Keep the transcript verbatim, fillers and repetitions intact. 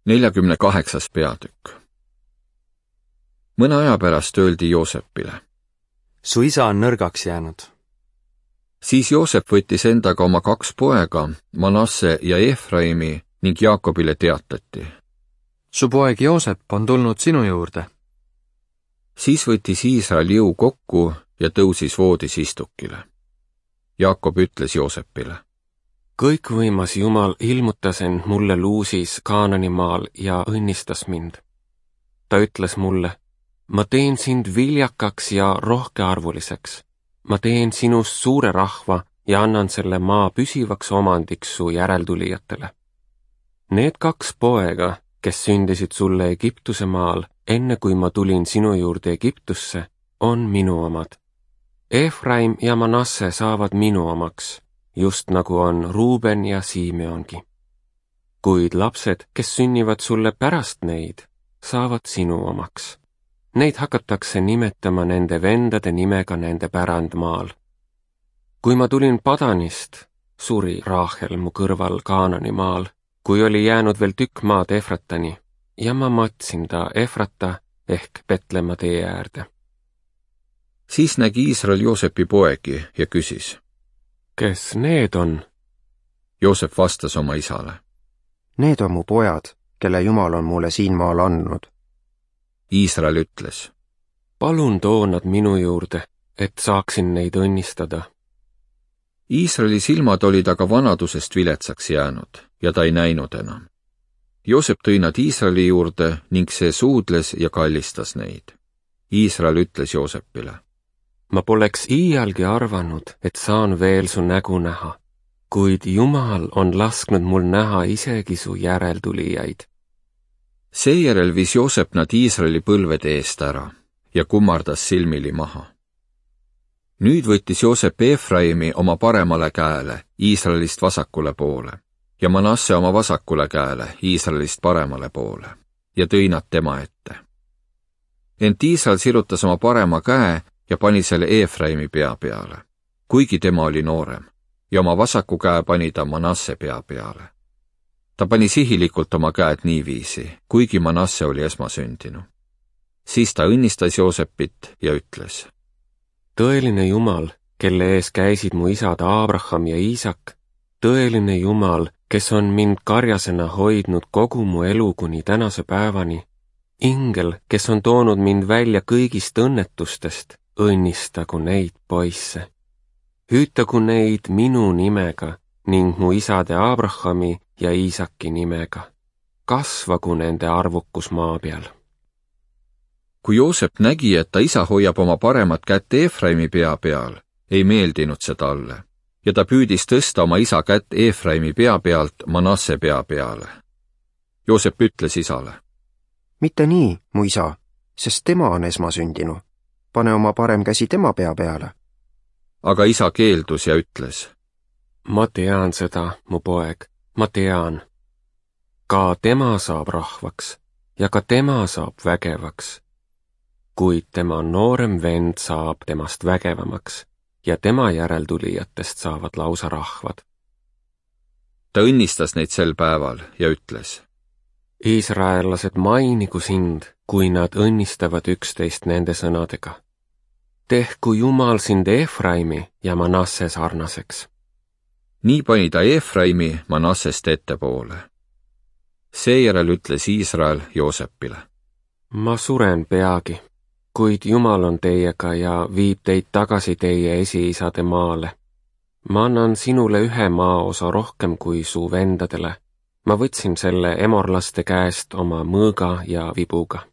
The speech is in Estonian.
neljakümne kaheksas peatükk. Mõne aja pärast öeldi Joosepile: Su isa on nõrgaks jäänud. Siis Joosep võttis endaga oma kaks poega, Manasse ja Efraimi, ning Jaakobile teatati: Su poeg Joosep on tulnud sinu juurde. Siis võttis Iisrael jõu kokku ja tõusis voodis istukile. Jaakob ütles Joosepile: Kõikvõimas Jumal ilmutas end mulle luusis Kaananimaal ja õnnistas mind. Ta ütles mulle: Ma teen sind viljakaks ja rohkearvuliseks. Ma teen sinust suure rahva ja annan selle maa püsivaks omandiks su järeltulijatele. Need kaks poega, kes sündisid sulle Egiptuse maal, enne kui ma tulin sinu juurde Egiptusse, on minu omad. Efraim ja Manasse saavad minu omaks, just nagu on Ruuben ja Simeongi. Kuid lapsed, kes sünnivad sulle pärast neid, saavad sinu omaks. Neid hakatakse nimetama nende vendade nimega nende pärandmaal. Kui ma tulin Padanist, suri Raahel mu kõrval Kaananimaal, kui oli jäänud veel tükk maad Efratani, ja ma matsin ta Efrata ehk Petlemma tee äärde. Siis nägi Iisrael Joosepi poegi ja küsis: Kes need on? Joosep vastas oma isale: Need on mu pojad, kelle Jumal on mulle siin maal andnud. Iisrael ütles: Palun too nad minu juurde, et saaksin neid õnnistada. Iisraeli silmad olid aga vanadusest viletsaks jäänud ja ta ei näinud enam. Joosep tõi nad Iisraeli juurde ning see suudles ja kallistas neid. Iisrael ütles Joosepile: Ma poleks iialgi arvanud, et saan veel su nägu näha, kuid Jumal on lasknud mul näha isegi su järeltulijaid. Seejärel viis Joosep nad Iisraeli põlvede eest ära ja kummardas silmili maha. Nüüd võttis Joosep Efraimi oma paremale käele, Iisraelist vasakule poole, ja Manasse oma vasakule käele, Iisraelist paremale poole, ja tõi nad tema ette. Ent Iisrael sirutas oma parema käe ja pani selle Efraimi pea peale, kuigi tema oli noorem, ja oma vasaku käe pani ta Manasse pea peale. Ta pani sihilikult oma käed niiviisi, kuigi Manasse oli esmasündinu. Siis ta õnnistas Joosepit ja ütles: Tõeline Jumal, kelle ees käisid mu isad Abraham ja Iisak, tõeline Jumal, kes on mind karjasena hoidnud kogu mu elu kuni tänase päevani, ingel, kes on toonud mind välja kõigist õnnetustest, õnnistagu neid poisse. Hüütagu neid minu nimega ning mu isade Abrahami ja Iisaki nimega. Kasvagu nende arvukus maa peal. Kui Joosep nägi, et ta isa hoiab oma paremat kätt Efraimi pea peal, ei meeldinud see talle, ja ta püüdis tõsta oma isa kätt Efraimi pea pealt Manasse pea peale. Joosep ütles isale: Mitte nii, mu isa, sest tema on esmasündinu. Pane oma parem käsi tema pea peale. Aga isa keeldus ja ütles: Ma tean seda, mu poeg, ma tean. Ka tema saab rahvaks ja ka tema saab vägevaks. Kuid tema noorem vend saab temast vägevamaks ja tema järeltulijatest saavad lausa rahvad. Ta õnnistas neid sel päeval ja ütles: Iisraellased mainigu sind, kui nad õnnistavad üksteist nende sõnadega. Tehku Jumal sind Efraimi ja Manasse sarnaseks. Nii pani ta Efraimi Manassest ettepoole. Seejärel ütles Iisrael Joosepile: Ma suren peagi, kuid Jumal on teiega ja viib teid tagasi teie esiisade maale. Ma annan sinule ühe maaosa rohkem kui su vendadele. Ma võtsin selle emorlaste käest oma mõõga ja vibuga.